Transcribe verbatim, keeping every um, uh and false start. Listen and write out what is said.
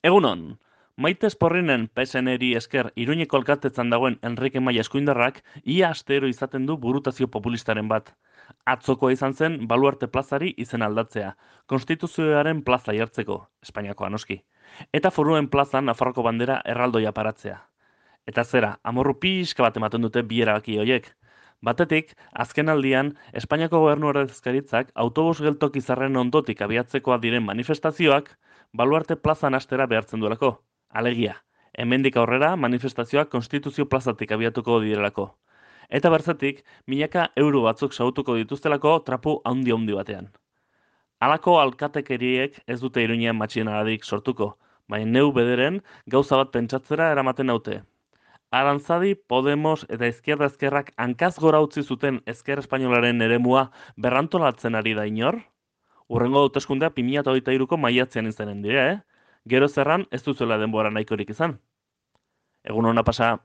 Egunon, Maite Esporrinen P S N-eri esker Iruñeko alkatetzan dagoen Enrique Maia eskuindarrak ia astero izaten du burutazio populistaren bat. Atzokoa izan zen Baluarte plazari izen aldatzea, Konstituzioaren plaza jartzeko, Espainiakoa noski, eta Foruen plazan Nafarroko bandera erraldoia paratzea. Eta zera, amorru pixka bat ematen dute bi erabaki horiek. Batetik, azken aldian, Espainiako gobernu ordezkaritzak autobus geltoki zarren ondotik abiatzekoa diren manifestazioak Baluarte plazan hastera behartzen duelako. Alegia, hemendik aurrera manifestazioak Konstituzio plazatik abiatuko direlako. Eta bertzetik, milaka euro batzuk sautuko dituztelako trapu handi-handi batean. Halako alkatekeriek ez dute Iruñean matxinadarik sortuko, baina neu bederen gauza bat pentsatzera eramaten naute. Arantzadi, Podemos eta Izquierda Ezkerrak hankaz gora utzi zuten Ezker Espainolaren eremua berrantolatzen ari da inor? Hurrengo hauteskundea bi mila hogeita hiruko maiatzean izanen dira, eh? Gero zerran ez duzuela denbora nahikorik izan. Egun hona pasa.